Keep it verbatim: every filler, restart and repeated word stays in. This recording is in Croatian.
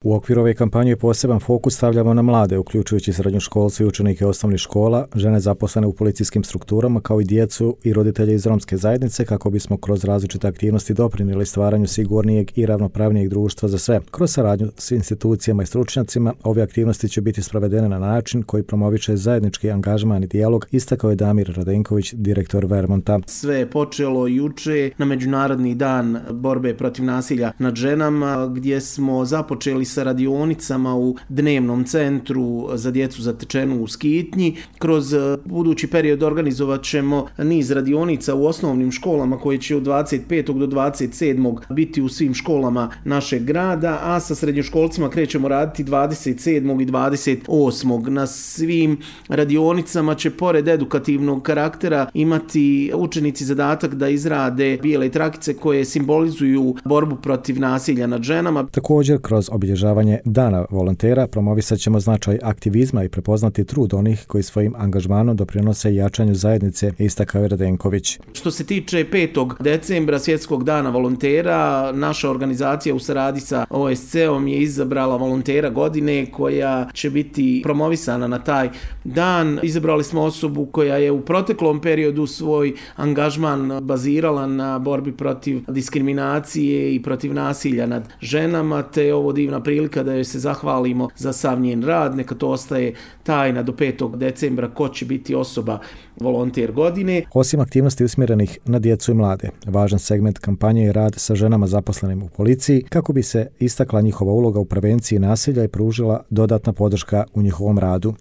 U okviru ove kampanje poseban fokus stavljamo na mlade, uključujući srednjoškolce i učenike osnovnih škola, žene zaposlene u policijskim strukturama, kao i djecu i roditelje iz romske zajednice, kako bismo kroz različite aktivnosti doprinijeli stvaranju sigurnijeg i ravnopravnijeg društva za sve. Kroz saradnju s institucijama i stručnjacima, ove aktivnosti će biti sprovedene na način koji promoviše zajednički angažman i dijalog, istakao je Damir Radenković, direktor Vermonta. Sve je počelo juče na Međunarodni dan borbe protiv nasilja nad ženama, gdje smo započeli sa radionicama u dnevnom centru za djecu zatečenu u Skitnji. Kroz budući period organizovat ćemo niz radionica u osnovnim školama koje će od dvadeset petog do dvadeset sedmog biti u svim školama našeg grada, a sa srednjoškolcima krećemo raditi dvadeset sedmog i dvadeset osmog Na svim radionicama će pored edukativnog karaktera imati učenici zadatak da izrade bijele trakice koje simbolizuju borbu protiv nasilja nad ženama. Također, kroz obilježavanje Dana volontera promovisat ćemo značaj aktivizma i prepoznati trud onih koji svojim angažmanom doprinose jačanju zajednice, istakao je Radenković. Što se tiče petog decembra, Svjetskog dana volontera, naša organizacija u saradnji sa O S C-om je izabrala volontera godine koja će biti promovisana na taj dan. Izabrali smo osobu koja je u proteklom periodu svoj angažman bazirala na borbi protiv diskriminacije i protiv nasilja nad ženama, te je ovo divna prilika da joj se zahvalimo za sav njen rad. Neka to ostaje tajna do petog decembra ko će biti osoba volonter godine. Osim aktivnosti usmjerenih na djecu i mlade, važan segment kampanje je rad sa ženama zaposlenim u policiji, kako bi se istakla njihova uloga u prevenciji nasilja i pružila dodatna podrška u njihovom radu.